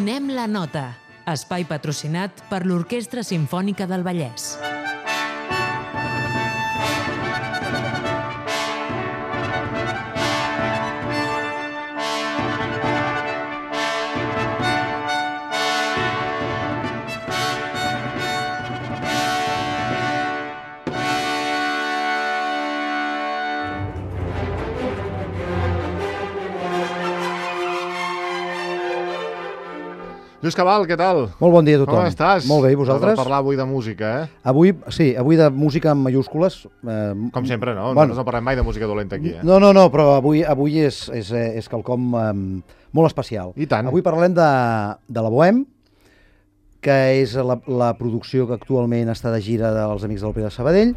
Donem la nota. Espai patrocinat per l'Orquestra Simfònica del Vallès. Lluís Cabal, què tal? Molt bon dia a tothom. Com estàs? Molt bé, i vosaltres? Hem de parlar avui de música, eh? Avui de música en mayúscules. Com sempre, no? Bueno, No parlem mai de música dolenta aquí, eh? No, però avui és quelcom molt especial. I tant. Avui parlem de la Bohème, que és la producció que actualment està de gira dels Amics de l'Òpera de Sabadell.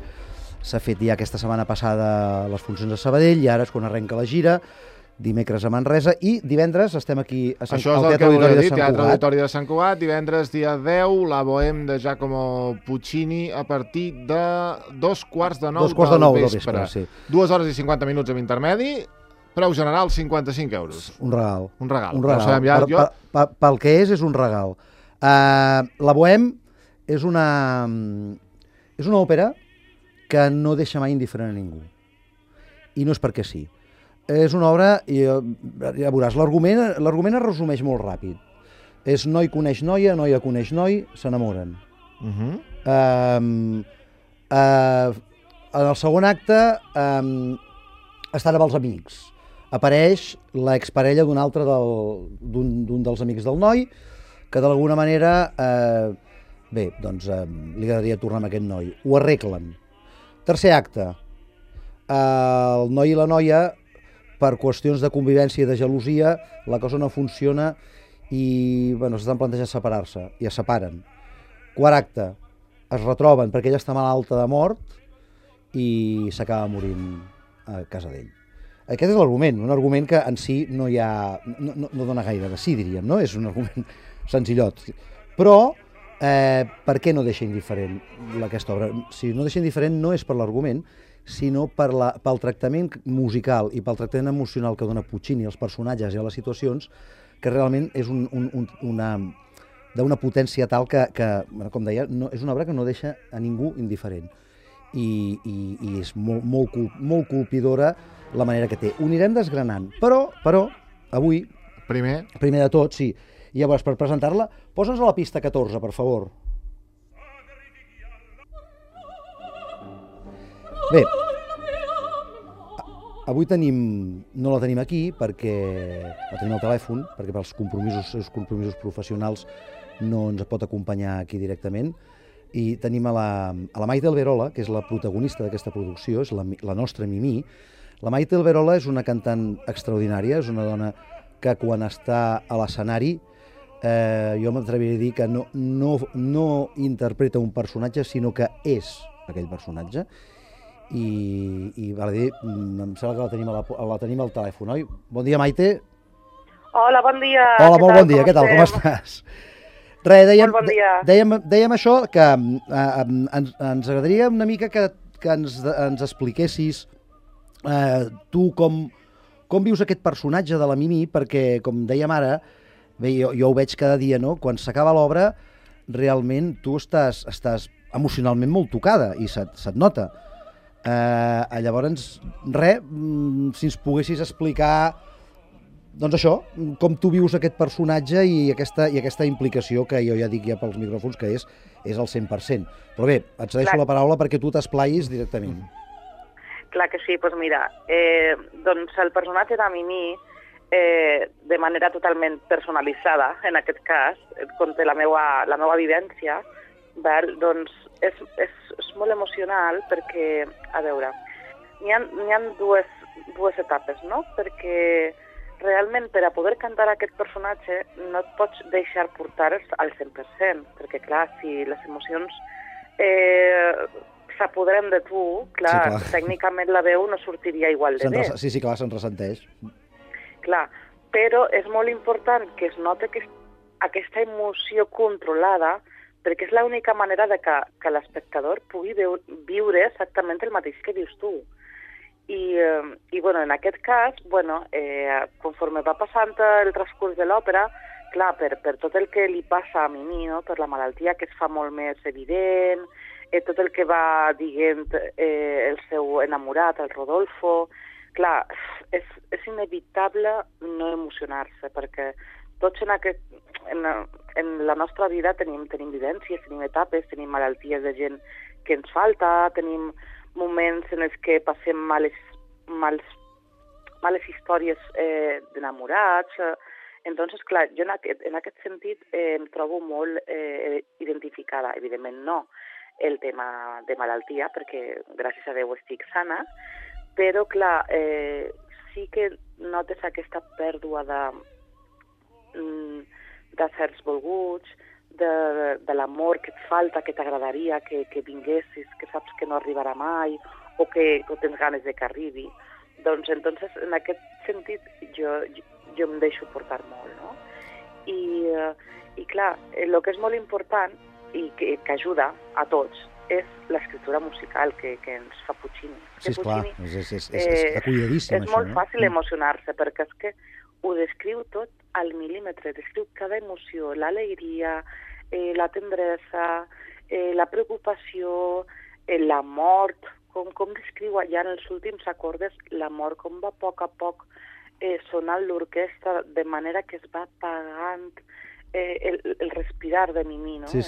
S'ha fet ja aquesta setmana passada les funcions a Sabadell i ara és quan arrenca la gira, dimecres a Manresa, i divendres estem aquí al Teatre Auditori de Sant Cugat. Teatre Auditori de Sant Cugat, divendres dia 10, la Bohème de Giacomo Puccini a partir de 2:45 del vespre. Sí. 2 hores i 50 minuts amb intermedi, preu general 55 euros. Un regal. Un regal. Un regal. No sabem ja, Pel que és un regal. La Bohème és una òpera que no deixa mai indiferent a ningú. I no és perquè sí. És una obra, ja veuràs, l'argument es resumeix molt ràpid. És noi coneix noia coneix noi, s'enamoren. En el segon acte estan amb els amics. Apareix l'exparella d'un dels amics del noi, que d'alguna manera, li agradaria tornar amb aquest noi. Ho arreglen. Tercer acte. El noi i la noia, per qüestions de convivència i de gelosia, la cosa no funciona i s'estan plantejant separar-se, i es separen. Quart acte, es retroben perquè ella està malalta de mort i s'acaba morint a casa d'ell. Aquest és l'argument, un argument que en si no dona gaire de sí, diríem, no? És un argument senzillot. Però, per què no deixa indiferent aquesta obra? Si no deixa indiferent no és per l'argument, sinó pel tractament musical i pel tractament emocional que dona Puccini als personatges i a les situacions, que realment és d'una potència tal que, com deia, és una obra que no deixa a ningú indiferent. I és molt colpidora la manera que té. Ho anirem desgranant, però avui, primer de tot, sí, i llavors per presentar-la, posa'ns a la pista 14, per favor. Bé, avui no la tenim aquí perquè la tenim al telèfon, perquè pels compromisos professionals no ens pot acompanyar aquí directament, i tenim a la Maite Alberola, que és la protagonista d'aquesta producció, és la nostra Mimí. La Maite Alberola és una cantant extraordinària, és una dona que quan està a l'escenari jo m'atreviria a dir que no interpreta un personatge, sinó que és aquell personatge. I val a dir, em sembla que la tenim al telèfon, oi? Bon dia, Maite. Hola, bon dia. Hola, molt bon dia, què tal, com estàs? Res, dèiem això, que ens agradaria una mica que ens expliquessis tu com vius aquest personatge de la Mimí, perquè, com dèiem ara, bé, jo ho veig cada dia, no? Quan s'acaba l'obra, realment tu estàs emocionalment molt tocada i se't nota. Llavors, si ens poguessis explicar, doncs això, com tu vius aquest personatge i aquesta implicació que jo ja dic ja pels micròfons que és el 100%. Però bé, et cedeixo la paraula perquè tu t'esplaiis directament. Clar que sí, doncs mira, doncs el personatge de Mimí, de manera totalment personalitzada, en aquest cas, conté la meva vivència, doncs és molt emocional perquè, a veure, n'hi ha dues etapes, no? Perquè realment per a poder cantar aquest personatge no et pots deixar portar al 100%, perquè clar, si les emocions s'apoderen de tu, clar, sí, tècnicament la veu no sortiria igual de bé. Sí, clar, se'n ressenteix. Clar, però és molt important que es noti aquesta emoció controlada, perquè és l'única manera que l'espectador pugui viure exactament el mateix que vius tu. I bueno, en aquest cas, conforme va passant el transcurs de l'òpera, clar, per tot el que li passa a Mimi, no? Per la malaltia que es fa molt més evident, tot el que va dient el seu enamorat, el Rodolfo, clar, és inevitable no emocionar-se, perquè tots en la nostra vida tenim vivències, tenim etapes, tenim malalties de gent que ens falta, tenim moments en els que passem males històries d'enamorats. Entonces, clar, jo en aquest sentit em trobo molt identificada. Evidentment no el tema de malaltia, perquè gràcies a Déu estic sana, però clar, sí que notes aquesta pèrdua de certs volguts, de l'amor que et falta, que t'agradaria que vinguessis, que saps que no arribarà mai, o que tens ganes de que arribi. Doncs, entonces, en aquest sentit, jo em deixo portar molt, no? I clar, el que és molt important i que ajuda a tots és l'escriptura musical que ens fa Puccini. Sí, esclar, està cuidadíssim, és això, molt fàcil emocionar-se, perquè és que ho descriu tot al mil·límetre, descriu cada emoció, l'alegria, la tendresa, la preocupació, la mort, com descriu allà en els últims acordes la mort, com va a poc sonant l'orquestra de manera que es va apagant el respirar de Mimi, no? Sí.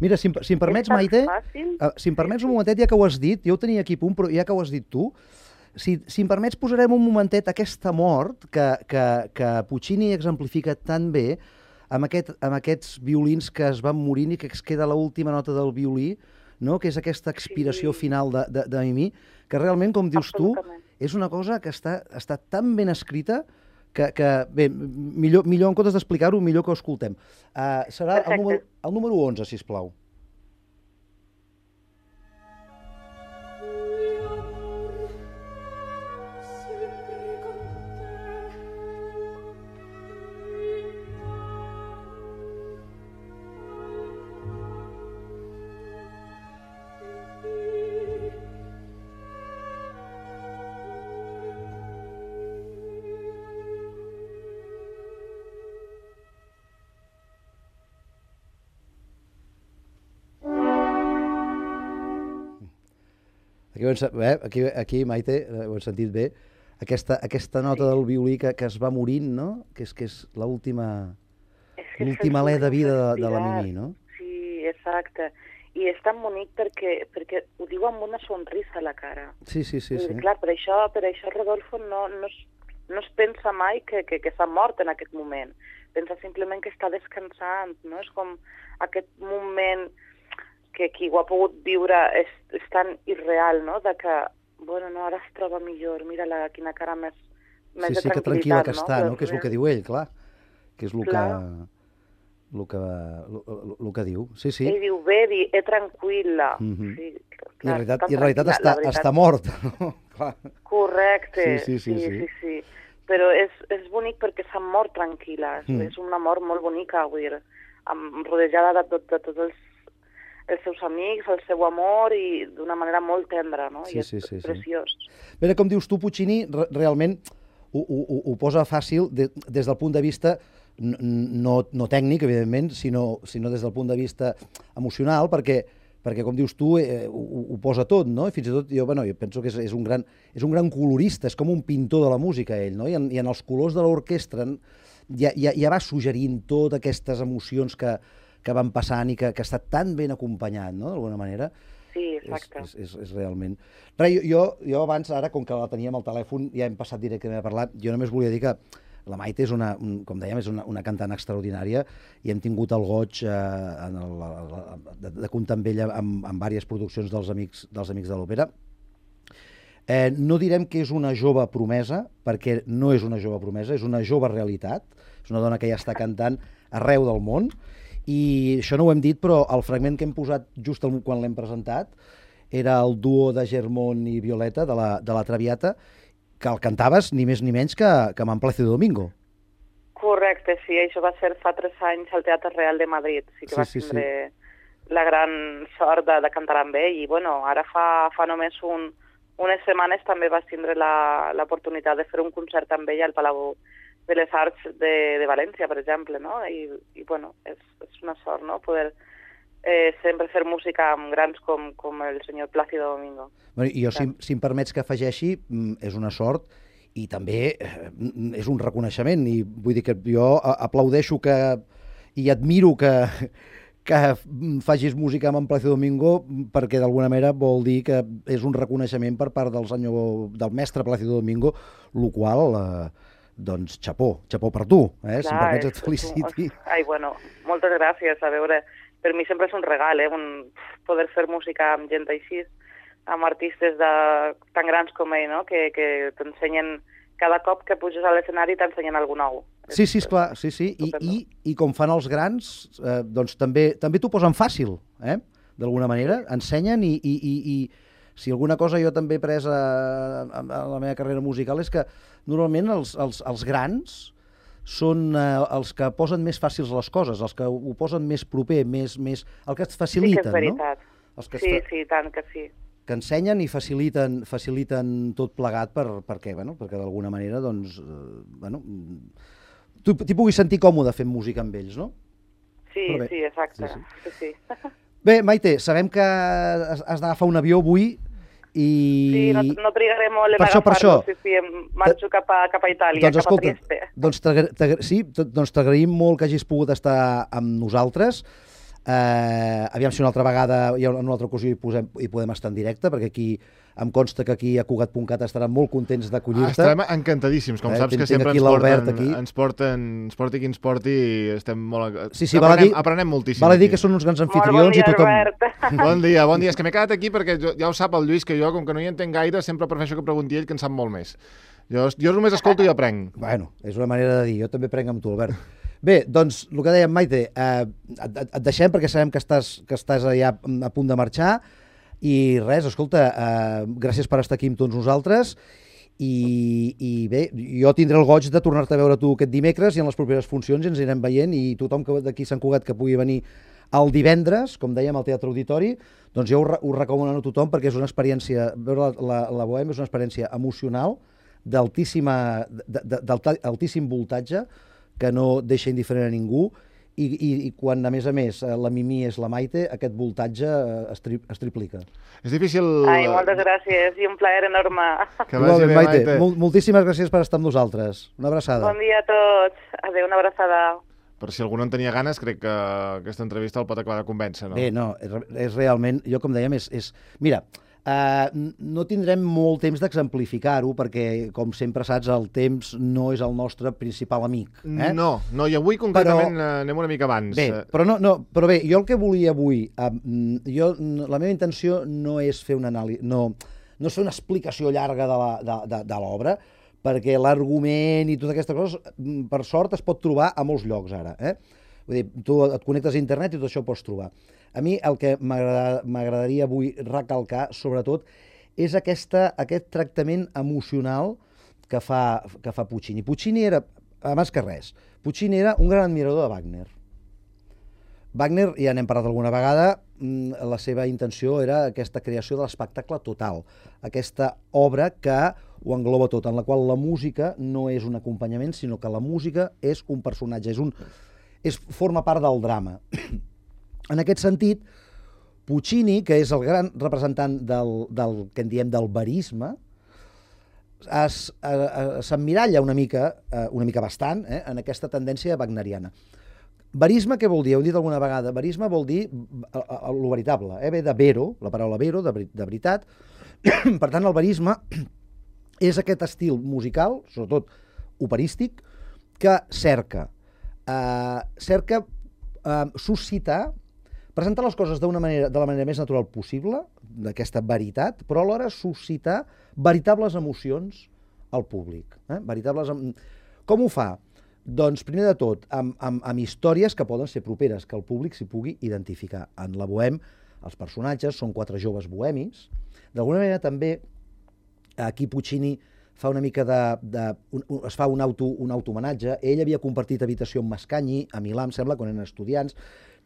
Mira, si em permets, Maite, si em permets un momentet, ja que ho has dit, jo ho tenia aquí a punt, però ja que ho has dit tu, si em permets posarem un momentet aquesta mort que Puccini exemplifica tan bé amb aquests violins que es van morint i que es queda l'última nota del violí, no? Que és aquesta expiració final de Mimi, que realment, com dius tu, és una cosa que està tan ben escrita que bé, millor en comptes d'explicar-ho, millor que ho escoltem. Serà el número 11, sisplau. Aquí, Maite, ho hem sentit bé, aquesta nota del violí que es va morint, no? Que és l'última alè de vida de la Mimi, no? Sí, exacte. I és tan bonic perquè ho diu amb una sonrisa a la cara. Sí. Clar, per això Rodolfo no es pensa mai que s'ha mort en aquest moment. Pensa simplement que està descansant, no? És com aquest moment que qui ho ha pogut viure és tan irreal, no?, de que, bueno, no, ara es troba millor, mira-la, quina cara més de tranquil·litat, que tranquil·la que està, no?, que és el que diu ell, clar, que és el que diu, sí. Ell diu, vedi, tranquil·la. I en realitat està mort, no? Correcte, sí. Però és bonic perquè s'ha mort tranquil·la, és una mort molt bonica, vull dir, rodejada de tots els seus amics, el seu amor, i d'una manera molt tendra, no? I és preciós. Bé, com dius tu, Puccini realment ho posa fàcil des del punt de vista no tècnic, evidentment, sinó des del punt de vista emocional, perquè com dius tu, ho posa tot, no? I fins i tot jo penso que és un gran colorista, és com un pintor de la música, ell, no? I en els colors de l'orquestra ja va suggerint totes aquestes emocions que van passant i que està tan ben acompanyat, no?, d'alguna manera. Sí, exacte. És realment... Jo abans, ara, com que la teníem al telèfon, ja hem passat directament a parlar, jo només volia dir que la Maite és com dèiem, és una cantant extraordinària i hem tingut el goig de comptar amb ella en diverses produccions dels Amics de l'Òpera. No direm que és una jove promesa, perquè no és una jove promesa, és una jove realitat, és una dona que ja està cantant arreu del món. I això no ho hem dit, però el fragment que hem posat just quan l'hem presentat era el duo de Germón i Violeta, de la Traviata, que el cantaves ni més ni menys que amb Plácido Domingo. Correcte, sí, això va ser fa 3 anys al Teatre Real de Madrid. Sí que va tindre la gran sort de cantar amb ell. I bueno, ara fa només unes setmanes també vas tindre l'oportunitat de fer un concert amb ell al Palau les arts de València, per exemple, no? I bueno, és una sort, no?, poder sempre fer música amb grans com el senyor Plácido Domingo. Bueno, i jo, si em permets que afegeixi, és una sort i també és un reconeixement. I vull dir que jo aplaudeixo i admiro que facis música amb en Plácido Domingo, perquè d'alguna manera vol dir que és un reconeixement per part del mestre Plácido Domingo, el qual, doncs, xapó per tu, si em permets et feliciti. Ai, bueno, moltes gràcies. A veure, per mi sempre és un regal, poder fer música amb gent així, amb artistes tan grans com ell, no?, que t'ensenyen, cada cop que puges a l'escenari t'ensenyen alguna nou. Sí, esclar, sí. I com fan els grans, doncs també t'ho posen fàcil, d'alguna manera, ensenyen i si alguna cosa jo també he pres a la meva carrera musical és que normalment els grans són els que posen més fàcils les coses, els que ho posen més proper, el que et faciliten, no? Sí que és veritat. No? Sí, tant que sí. Que ensenyen i faciliten tot plegat perquè d'alguna manera, doncs, t'hi puguis sentir còmode fent música amb ells, no? Sí, exacte. Sí. Bé, Maite, sabem que has d'agafar un avió avui i... Sí, no trigaré molt en agafar-lo, sí, marxo cap a Itàlia, doncs, cap a Trieste. Doncs t'agraïm molt que hagis pogut estar amb nosaltres. Aviam si una altra vegada, en una altra ocasió hi podem estar en directe, perquè aquí em consta que aquí a Cugat.cat estaran molt contents d'acollir-te. Estarem encantadíssims, com saps que sempre ens porti qui ens porti, estem molt... Sí, aprenem moltíssim. Val a dir que són uns grans anfitrions i tothom... Bon dia. És que m'he quedat aquí perquè ja ho sap el Lluís, que jo, com que no hi entenc gaire, sempre prefereixo que pregunti ell, que en sap molt més. Jo només escolto i aprenc. Bueno, és una manera de dir, jo també prenc amb tu, Albert. Bé, doncs, el que dèiem, Maite, et deixem perquè sabem que estàs ja a punt de marxar i res, escolta, gràcies per estar aquí amb tots nosaltres i bé, jo tindré el goig de tornar-te a veure tu aquest dimecres i en les properes funcions ens anirem veient i tothom d'aquí Sant Cugat que pugui venir el divendres, com dèiem, al Teatre Auditori, doncs jo ho recomano a tothom perquè és una experiència, veure la Bohème és una experiència emocional d'altíssim voltatge que no deixa indiferent a ningú i quan, a més, la Mimi és la Maite, aquest voltatge es triplica. És difícil... Ai, moltes gràcies i un plaer enorme. Que vagi bé, Maite. Moltíssimes gràcies per estar amb nosaltres. Una abraçada. Bon dia a tots. Adéu, una abraçada. Per si algú no en tenia ganes, crec que aquesta entrevista el pot acabar de convèncer, no? Bé, no, és realment... Jo, com dèiem, mira, no tindrem molt temps d'exemplificar-ho perquè, com sempre saps, el temps no és el nostre principal amic. No, i avui concretament anem una mica abans. Bé, però bé, jo el que volia avui, la meva intenció no és fer una anàlisi, no és fer una explicació llarga de l'obra, perquè l'argument i totes aquestes coses, per sort, es pot trobar a molts llocs ara. Vull dir, tu et connectes a internet i tot això ho pots trobar. A mi el que m'agradaria avui recalcar, sobretot, és aquest tractament emocional que fa Puccini. Puccini era, abans que res, Puccini era un gran admirador de Wagner. Wagner, ja n'hem parlat alguna vegada, la seva intenció era aquesta creació de l'espectacle total, aquesta obra que ho engloba tot, en la qual la música no és un acompanyament, sinó que la música és un personatge, forma part del drama. En aquest sentit, Puccini, que és el gran representant del que en diem del verisme, s'emmiralla una mica bastant en aquesta tendència wagneriana. Verisme què vol dir? Ho he dit alguna vegada. Verisme vol dir el veritable. Ve de vero, la paraula vero, de veritat. Per tant, el verisme és aquest estil musical, sobretot operístic, que cerca suscitar, presentar les coses de la manera més natural possible, d'aquesta veritat, però alhora suscitar veritables emocions al públic. Com ho fa? Doncs, primer de tot, amb històries que poden ser properes, que el públic s'hi pugui identificar. En la Bohème, els personatges són 4 joves bohemis. D'alguna manera, també, aquí Puccini fa una mica es fa un autohomenatge. Ell havia compartit habitació amb Mascagni, a Milà, em sembla, quan eren estudiants.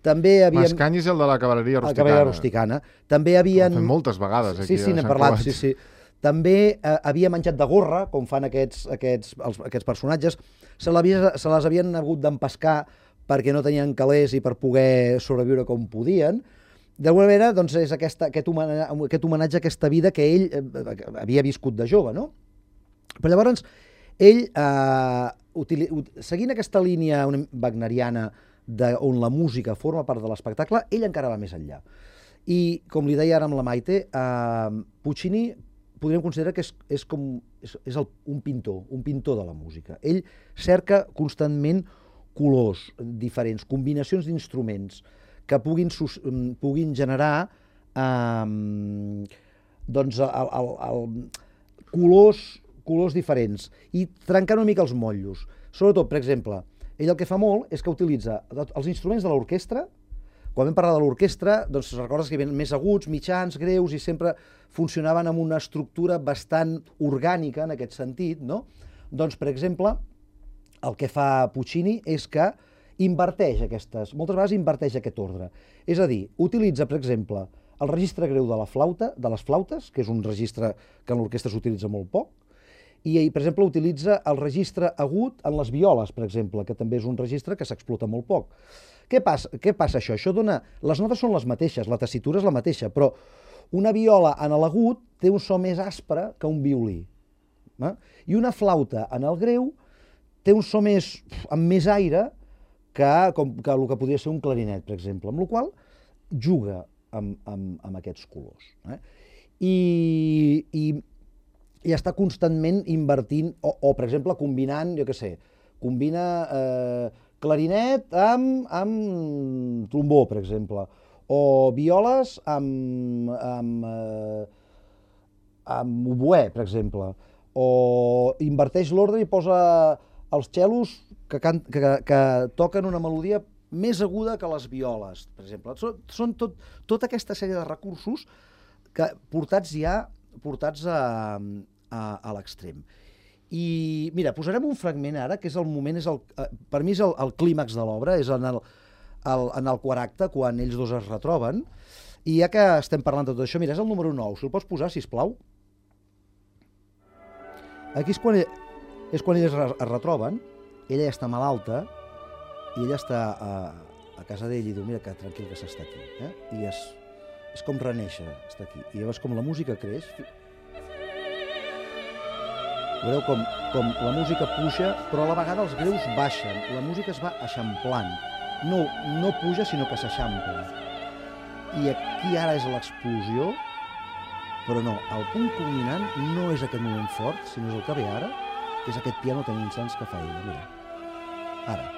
Mascagni és el de la cavalleria rusticana. També havien... Ho hem fet moltes vegades aquí. Sí, n'hem parlat, sí. També havia menjat de gorra, com fan aquests personatges, se les havien hagut d'empescar perquè no tenien calés i per poder sobreviure com podien. D'alguna manera, doncs, és aquest homenatge a aquesta vida que ell havia viscut de jove, no? Però llavors, ell, seguint aquesta línia wagneriana on la música forma part de l'espectacle, ell encara va més enllà. I, com li deia ara amb la Maite, Puccini podríem considerar que és un pintor de la música. Ell cerca constantment colors diferents, combinacions d'instruments que puguin generar colors diferents i trencar una mica els motllos. Sobretot, per exemple, ell el que fa molt és que utilitza els instruments de l'orquestra. Quan vam parlar de l'orquestra, doncs recordes que hi havia més aguts, mitjans, greus, i sempre funcionaven amb una estructura bastant orgànica en aquest sentit, no? Doncs, per exemple, el que fa Puccini és que moltes vegades inverteix aquest ordre. És a dir, utilitza, per exemple, el registre greu de les flautes, que és un registre que en l'orquestra s'utilitza molt poc, i, per exemple, utilitza el registre agut en les violes, per exemple, que també és un registre que s'explota molt poc. Què passa això? Les notes són les mateixes, la tessitura és la mateixa, però una viola en l'agut té un so més aspre que un violí. I una flauta en el greu té un so amb més aire que el que podria ser un clarinet, per exemple, amb la qual juga amb aquests colors. I està constantment invertint, o per exemple, combinant, combina clarinet amb trombó, per exemple, o violes amb oboè, per exemple, o inverteix l'ordre i posa els cellos que toquen una melodia més aguda que les violes, per exemple. Són tota aquesta sèrie de recursos que portats a l'extrem. I mira, posarem un fragment ara, que és el moment, per mi és el clímax de l'obra, és en el quart acte, quan ells dos es retroben, i ja que estem parlant de tot això, mira, és el número 9, si el pots posar, sisplau. Aquí és quan ells es retroben, ella ja està malalta, i ella està a casa d'ell i diu, mira que tranquil que s'està aquí, i és com renéixer, està aquí. I llavors com la música creix, veureu com la música puja, però a la vegada els greus baixen, la música es va eixamplant, no puja sinó que s'eixampla. I aquí ara és l'explosió, però no, el punt culminant no és aquest moment fort, sinó és el que ve ara, que és aquest piano tan intens que fa ella, mira, ara.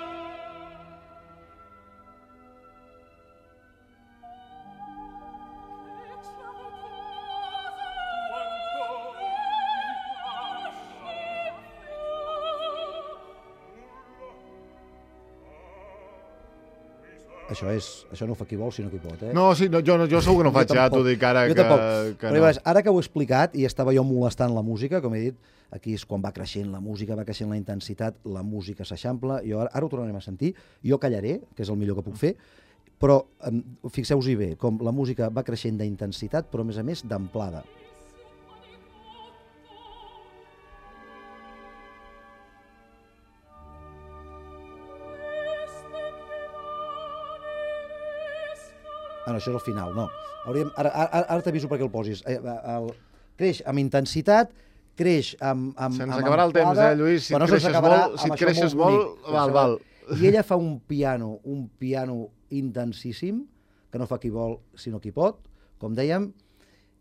Això no ho fa qui vol, sinó qui pot, No, sí, jo segur que no faig, ja t'ho dic ara que no. Però ara que ho he explicat, i estava jo molestant la música, com he dit, aquí és quan va creixent la música, va creixent la intensitat, la música s'eixampla, ara ho tornarem a sentir, jo callaré, que és el millor que puc fer, però fixeu-vos-hi bé, com la música va creixent d'intensitat, però a més d'amplada. No, això és el final, no. Ara t'aviso perquè el posis. Creix amb intensitat, creix amb se'ns acabarà el temps, Lluís, si et creixes molt, val. I ella fa un piano intensíssim, que no fa qui vol, sinó qui pot. Com dèiem,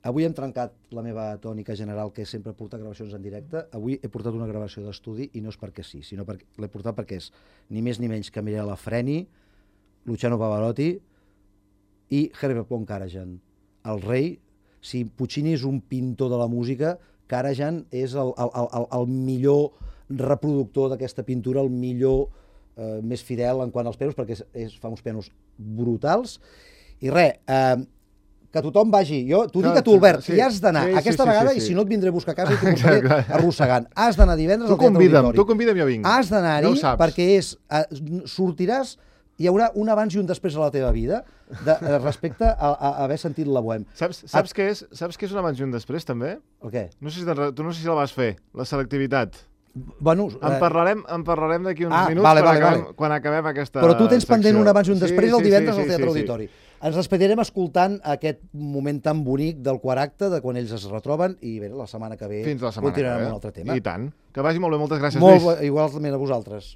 avui hem trencat la meva tònica general, que és sempre portar gravacions en directe. Avui he portat una gravació d'estudi, i no és perquè sí, sinó perquè l'he portat perquè és ni més ni menys que Mirella Freni, Luciano Pavarotti i Herbert von Karajan, el rei. Si Puccini és un pintor de la música, Karajan és el millor reproductor d'aquesta pintura, el millor, més fidel en quant als pianos, perquè fa uns pianos brutals. I res, que tothom vagi. T'ho dic a tu, Albert, hi has d'anar aquesta vegada, i si no et vindré a buscar a casa i t'ho portaré arrossegant. Has d'anar divendres al Teatre Auditori. Tu convida'm, jo vinc. Has d'anar-hi perquè sortiràs hi haurà un abans i un després a la teva vida respecte a haver sentit la Bohème. Saps què és un abans i un després, també? El què? Tu no sé si la vas fer, la selectivitat. Bueno, En parlarem d'aquí uns minuts quan acabem aquesta Però tu tens pendent secció. un abans i un després el divendres al Teatre sí. Auditori. Ens despedirem escoltant aquest moment tan bonic del quart acte, de quan ells es retroben, i bé, la setmana que ve Fins la setmana continuarem que ve. amb un altre tema. I tant. Que vagi molt bé, moltes gràcies, Lluís. Igualment a vosaltres.